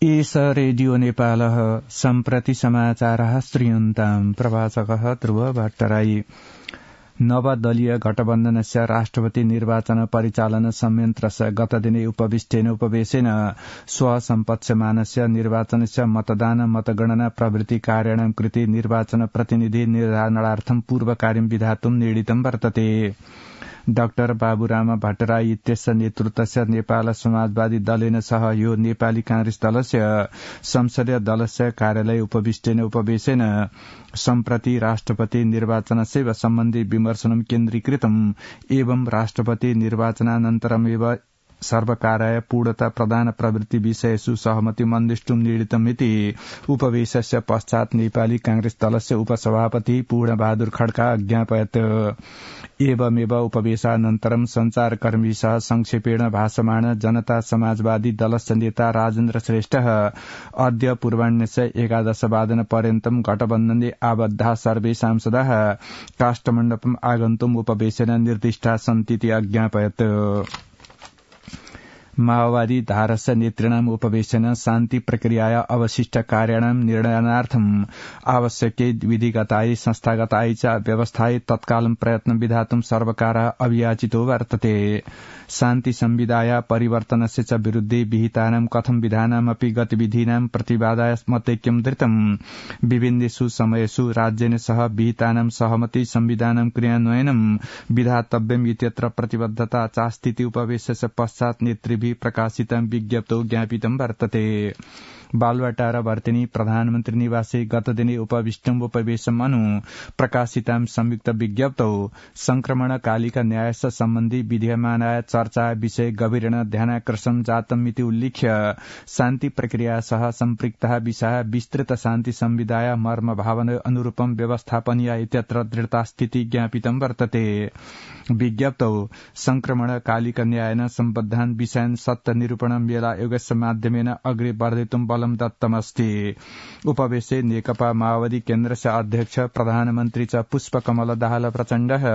एष रेडियो नेपालः सम्प्रति समाचारः श्रूयन्ताम् प्रवाचकः ध्रुव भट्टराई नवदलीय गठबन्धनस्य राष्ट्रपति निर्वाचन परिचालन संयन्त्रस्य गतदिने उपविष्टेन उपवेशेन स्वसम्पत्स्यमानस्य निर्वाचनस्य मतदान मतगणना प्रभृति कार्याणां कृते निर्वाचन प्रतिनिधि निर्धारणार्थं पूर्वकार्यं विधातुं निर्णीतं वर्तते। डाक्टर बाबुराम भट्टराई इत्यस्य नेतृत्वस्य नेपाल समाजवादी दलेन सह यो नेपाली कांग्रेस दलस्य संसदीय दलस्य कार्यालय उपविष्टेन उपवेशेन सम्प्रति राष्ट्रपति निर्वाचनस्य सम्बन्धी विमर्शनं केन्द्रीकृतम् एवं राष्ट्रपति निर्वाचनानन्तरमेव सर्वकाराय पूर्णता प्रदान प्रवृत्ति विषयेषु सहमति मन्दिष्टुं निर्णीतमिति उपवेशस्य पश्चात् नेपाली कांग्रेस दलस्य उपसभापति पूर्णबहादुर खड्का अज्ञापयत्। एवमेव उपवेशानन्तरं संचारकर्मीसह संक्षेपेण भाषमाण जनता समाजवादी दलस्य नेता राजेन्द्र श्रेष्ठः अद्य पूर्वाह्नस्य 11 वादनपर्यन्तं गठबन्धने आबद्धा सर्वे सांसदाः काष्ठमण्डपम् आगन्तुम् उपवेशेन निर्दिष्टा सन्तीति अज्ञापयत्। माओवादी धारस्य नेतृणाम् उपवेशेन शान्ति प्रक्रियाया अवशिष्ट कार्याणां निर्णयनार्थम् आवश्यकै विधिगतायै संस्थागतायै च व्यवस्थायै तत्कालं प्रयत्न विधातुं सर्वकारः अभियाचितो वर्तते। शान्ति संविधाया परिवर्तनस्य च विरुद्धे विहितानां कथं विधानामपि गतिविधीनां प्रतिवादाय मतैक्यं धृतम्। विभिन्नेषु समयेषु राज्येन सह विहितानां सहमति संविधानां क्रियान्वयनं विधातव्यम् इत्यत्र प्रतिबद्धता चास्तीति उपवेशस्य पश्चात् नेतृभिः प्रकाशितं विज्ञप्तौ ज्ञापितं वर्तते। बालुवाटार वर्तिनी प्रधानमन्त्री निवासे गतदिने उपविष्टम् उपवेशम् अनु प्रकाशितां संयुक्त विज्ञप्तौ संक्रमणकालिक न्यायस्य सम्बन्धी विद्यमानाय चर्चा विषय गभीरेण ध्यानाकर्षण जातम् इति उल्लिख्य शान्ति प्रक्रिया सह सम्पृक्तः विषय विस्तृत शान्ति संविधाय मर्म भावना अनुरूपं व्यवस्थापनीय इत्यत्र दृढतास्थिति ज्ञापितं वर्तते। विज्ञप्तौ संक्रमणकालिक न्यायेन सम्बद्धान् विषयान् सत्य निरूपणं मेला योगस्य माध्यमेन अग्रे वर्धितुं बलं दत्तमस्ति। उपवेशे नेकपा माओवादी केन्द्रस्य अध्यक्ष प्रधानमन्त्री च पुष्पकमल दाहाल प्रचण्डः,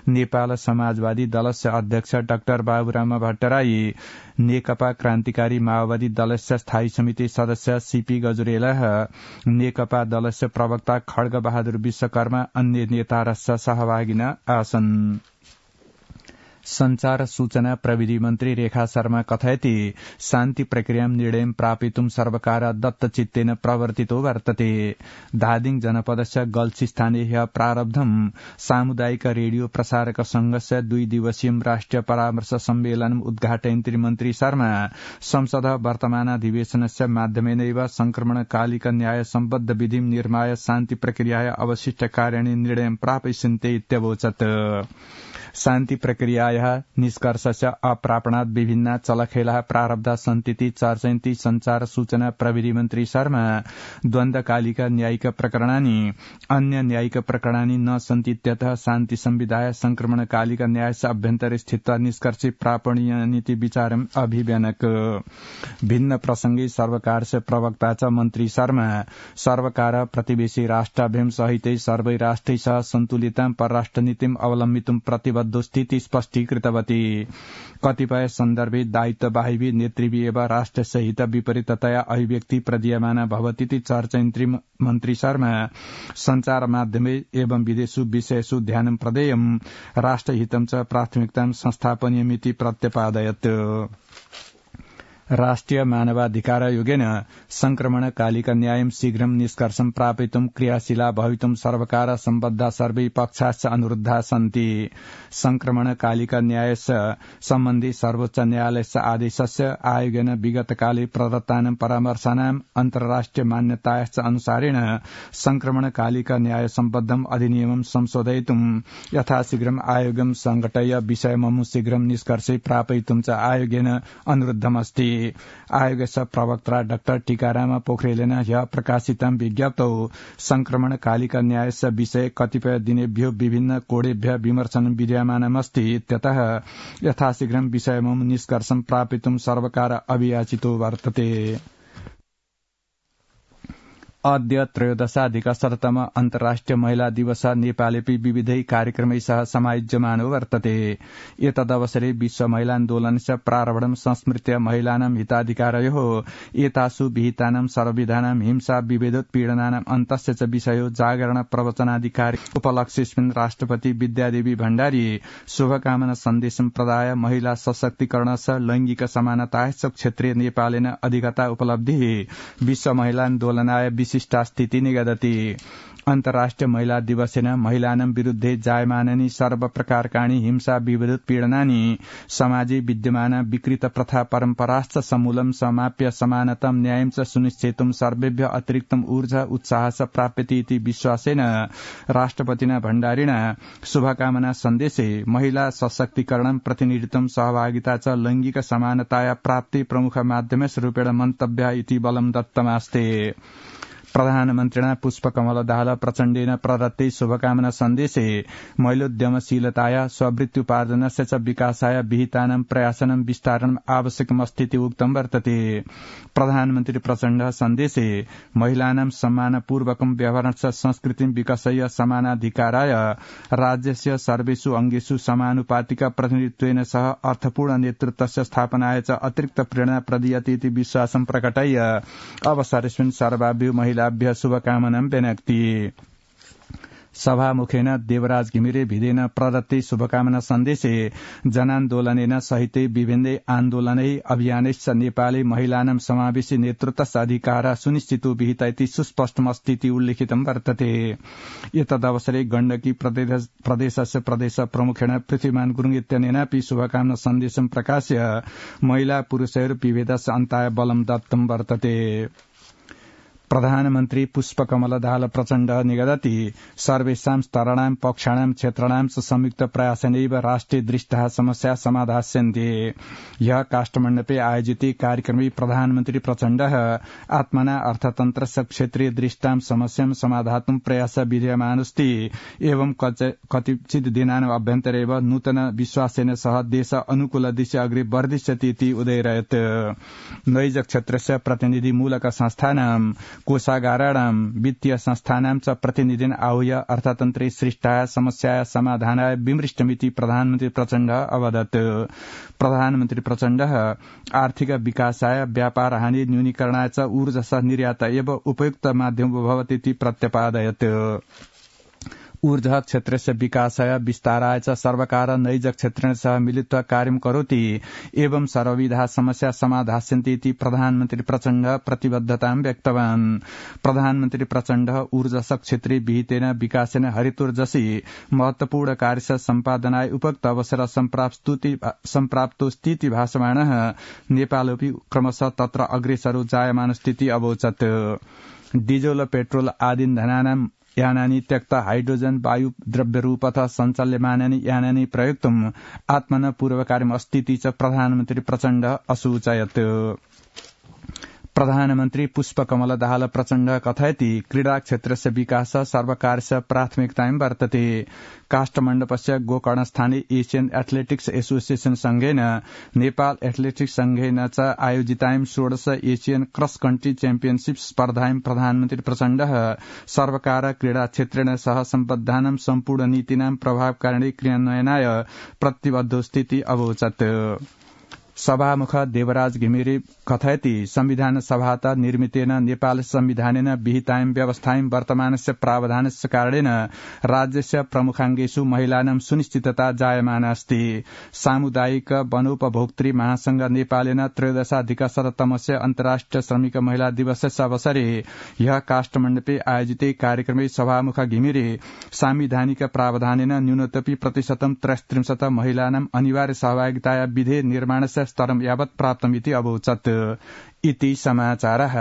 नेपाल समाजवादी दलस्य अध्यक्ष डाक्टर बाबुराम भट्टराई, नेकपा क्रान्तिकारी माओवादी दलस्य स्थायी समिति सदस्य सीपी गजुरेलः, नेकपा दलस्य प्रवक्ता खड्ग बहादुर विश्वकर्मा अन्य नेतारस्य सहभागिना आसन्। संचार सूचना प्रविधि मन्त्री रेखा शर्मा कथयति शान्ति प्रक्रियां निर्णयं प्रापितुं सर्वकार दत्तचित्तेन प्रवर्तितो वर्तते। धादिङ जनपदस्य गल्छी ह्य प्रारब्धं सामुदायिक रेडियो प्रसारक संघस्य 2 दिवसीय राष्ट्रिय परामर्श सम्मेलनम् उद्घाटयन्त्री मन्त्री शर्मा संसद वर्तमानाधिवेशनस्य माध्यमेनैव संक्रमणकालिक न्याय सम्बद्ध विधिं निर्माय शान्ति प्रक्रियाय अवशिष्ट कार्याणि निर्णयं प्रापयिष्यन्ते इत्यवोचत्। शान्ति प्रक्रियायाः निष्कर्षस्य अप्रापणात् विभिन्ना चलखेलाः प्रारब्धा सन्तीति चर्चयन्ती संचार सूचना प्रविधि मन्त्री शर्मा द्वन्द्वकालिक न्यायिक प्रकरणानि अन्य न्यायिक प्रकरणानि न सन्तीत्यतः शान्ति संविधाय संक्रमणकालिक न्यायस्य अभ्यन्तरे स्थित्वा निष्कर्षे प्रापणीयनिति विचारम् अभिव्यनक। भिन्न प्रसंगे सर्वकारस्य प्रवक्ता च मन्त्री शर्मा सर्वकार प्रतिवेशी राष्ट्राभ्यां सहितै सर्वै राष्ट्रै सह सन्तुलितां परराष्ट्र नीतिम् अवलम्बितुं प्रतिबद्धोस्थिति स्पष्टीकृतवती। कतिपय सन्दर्भे दायित्ववाहिभिः नेतृभिः एव राष्ट्रस्य हित विपरीततया अभिव्यक्ति प्रदीयमाना भवतीति चर्चयन्त्री मन्त्री शर्मा संचार माध्यमे एवं विदेशु विषयेषु ध्यानं प्रदेयम् राष्ट्रहितं च प्राथमिकतां संस्थापनीयमिति प्रत्यपादयत्। राष्ट्रिय मानवाधिकार आयोगेन संक्रमणकालिक न्यायं शीघ्रं निष्कर्षं प्रापितुं क्रियाशीला भवितुं सर्वकार सम्बद्धा सर्वे पक्षाश्च अनुरुद्धा सन्ति। संक्रमणकालिक न्यायस्य सम्बन्धी सर्वोच्च न्यायालयस्य आदेशस्य आयोगेन विगतकाले प्रदत्तानां परामर्शानां अन्तर्राष्ट्रिय मान्यतायाश्च अनुसारेण संक्रमणकालिक न्याय सम्बद्धम् अधिनियमं संशोधयितुं यथाशीघ्रम् आयोगं संघटय विषयममु शीघ्रं निष्कर्षे प्रापयितुं च आयोगेन अनुरुद्धमस्ति। आयोगस्य प्रवक्ता डाक्टर टीकाराम पोखरेलेन ह्यः प्रकाशितं विज्ञप्तौ संक्रमणकालिक न्यायस्य विषये कतिपय दिनेभ्यो विभिन्न कोणेभ्यः विमर्शनं विद्यमानमस्ति इत्यतः यथाशीघ्रं विषयमं निष्कर्षं प्रापितुं सर्वकार अभियाचितो वर्तते। अद्य त्रयोदशाधिकशततम अन्तर्राष्ट्रिय महिला दिवस नेपालेपि विविधै कार्यक्रमैः समायोज्यमानो वर्तते। एतदवसरे विश्व महिला आन्दोलनस्य प्रारम्भं संस्मृत्य महिलानां हिताधिकारयोः एतासु विहितानां सर्वविधानां हिंसा विभेदोत्पीडनानां अन्तस्य च विषयो जागरण प्रवचनाधिकारी उपलक्ष्यस्मिन् राष्ट्रपति विद्यादेवी भण्डारी शुभकामना सन्देशं प्रदाय महिला सशक्तिकरणस्य लैंगिक समानतायाश्च क्षेत्रे नेपालेन अधिगता उपलब्धिः विश्व महिला आन्दोलनाय विशिष्टा स्थिति निगदति। अन्तर्राष्ट्रिय महिला दिवसेन महिलानां विरुद्धे जायमानानि सर्वप्रकारकाणि हिंसा विभेदोत्पीडनानि समाजे विद्यमान विकृत प्रथा परम्पराश्च समूलं समाप्य समानतं न्यायं च सुनिश्चेतुं सर्वेभ्यः अतिरिक्तम् ऊर्जा उत्साह च प्राप्यते इति विश्वासेन राष्ट्रपतिना भण्डारिणा शुभकामना सन्देशे महिला सशक्तिकरणं प्रतिनिधित्वं सहभागिता च लैंगिक समानताया प्राप्ति प्रमुख माध्यमरूपेण मन्तव्य इति बलं दत्तमास्ते। प्रधानमन्त्रिणा पुष्पकमल दाहाल प्रचण्डेन प्रदत्ते शुभकामना सन्देशे महिलोद्यमशीलताया स्ववृत्त्युपार्जनस्य च विकासाय विहितानां प्रयासानां विस्तारणम् आवश्यकमस्तीति उक्तं वर्तते। प्रधानमन्त्री प्रचण्ड सन्देशे महिलानां सम्मानपूर्वकं व्यवहारस्य संस्कृतिं विकसय समानाधिकाराय राज्यस्य सर्वेषु अंगेषु समानुपातिक प्रतिनिधित्वेन सह अर्थपूर्ण नेतृत्वस्य स्थापनाय च अतिरिक्त प्रेरणा प्रदीयते इति विश्वासं प्रकटय अवसरेऽस्मिन् सर्वाभ्यो महिलाभ्यः शुभकामनां व्यनक्ति। सभामुखेन देवराज घिमिरे भिडेन प्रदत्ते शुभकामना सन्देशे जनान्दोलनेन सहिते विभिन्नै आन्दोलनै अभियानैश्च नेपाले महिलानां समावेशी नेतृत्वस्य अधिकारः सुनिश्चितो विहित इति सुस्पष्टमस्तीति उल्लिखितं वर्तते। एतदवसरे गण्डकी प्रदेशस्य प्रदेश प्रमुखेण पृथ्वीमान गुरुङ इत्यनेनापि शुभकामना सन्देशं प्रकाश्य महिला पुरुषयोः विभेदस्य अन्ताय बलं दत्तं वर्तते। प्रधानमन्त्री पुष्पकमल दाहाल प्रचण्ड निगदति सर्वेषां स्तराणां पक्षाणां क्षेत्राणां च संयुक्त प्रयासेनैव राष्ट्रिय दृष्टः समस्या समाधास्यन्ते। ह्यः काष्ठमण्डपे आयोजिते कार्यक्रमे प्रधानमन्त्री प्रचण्डः आत्मना अर्थतन्त्रस्य क्षेत्रीय दृष्टां समस्यां समाधातुं प्रयासः विधीयमानोऽस्ति एवं कतिचित् दिनानाम् अभ्यन्तरेव नूतन विश्वासेन सह देश अनुकूल दिशि अग्रे वर्धिष्यति इति उदयरयत्। नैज क्षेत्रस्य प्रतिनिधिमूलक संस्थानां कोषागाराणां वित्तीय संस्थानां च प्रतिनिधिन आहूय अर्थतन्त्रे सृष्टाय समस्याया समाधानाय विमृष्टमिति प्रधानमन्त्री प्रचण्ड अवदत्। प्रधानमन्त्री प्रचण्ड आर्थिक विकासाय व्यापार हानि न्यूनीकरणाय च ऊर्जस्य निर्यात एव उपयुक्त माध्यमो भवति इति प्रत्यपादयत्। ऊर्जा क्षेत्रस्य विकासाय विस्ताराय च सर्वकार नैज क्षेत्रेण सह मिलित्वा कार्यं करोति एवं सर्वविधा समस्या समाधास्यन्ति इति प्रधानमन्त्री प्रचण्ड प्रतिबद्धतां व्यक्तवान्। प्रधानमन्त्री प्रचण्ड ऊर्जा क्षेत्रे विहितेन विकासेन हरितोर्जसी महत्वपूर्ण कार्यस्य सम्पादनाय उपयुक्त अवसर सम्प्राप्तोऽस्तीति भाषमाणः नेपालोऽपि क्रमशः तत्र अग्रेसरो जायमानस्थिति अवोचत्। डीजल पेट्रोल आदि धनानां यानानि त्यक्त हाइड्रोजन वायु द्रव्यरूपतः सञ्चाल्यमानानि यानानि प्रयोक्तुम् आत्मना पूर्वकार्यम् अस्तीति च प्रधानमन्त्री प्रचण्ड असूचयत्। प्रधानमन्त्री पुष्पकमल दाहाल प्रचण्ड कथयति क्रीडा क्षेत्रस्य विकासः सर्वकारस्य प्राथमिकतां वर्तते। काष्ठमण्डपस्य गोकर्णस्थाने एशियन एथलेटिक्स एसोसिएशन संघेन नेपाल एथलेटिक्स संघेन च आयोजितां 16 एशियन क्रस कन्ट्री चैम्पियनशिप स्पर्धां प्रधानमन्त्री प्रचण्डः सर्वकार क्रीडा क्षेत्रेण सह सम्बद्धानां सम्पूर्ण नीतिनां प्रभावकारिणी क्रियान्वयनाय प्रतिबद्धोस्तीति अवोचत्। सभामुख देवराज घिमिरे कथयति संविधान सभातः निर्मितेन नेपाल संविधानेन विहितां व्यवस्थां वर्तमानस्य प्रावधानस्य कारणेन राज्यस्य प्रमुखाङ्गेषु महिलानां सुनिश्चितता जायमाना अस्ति। सामुदायिक वनोपभोक्तृ महासंघ नेपालेन 13अधिकशततमस्य अन्तर्राष्ट्रिय श्रमिक महिला दिवसस्य अवसरे ह्यः काष्ठमण्डपे आयोजिते कार्यक्रमे सभामुख घिमिरे सांविधानिक प्रावधानेन न्यूनतपि प्रतिशतं 33 महिलानां अनिवार्य सहभागिताया विधेय निर्माणस्य स्तरं यावत् प्राप्तमिति अवोचत्। इति समाचारः।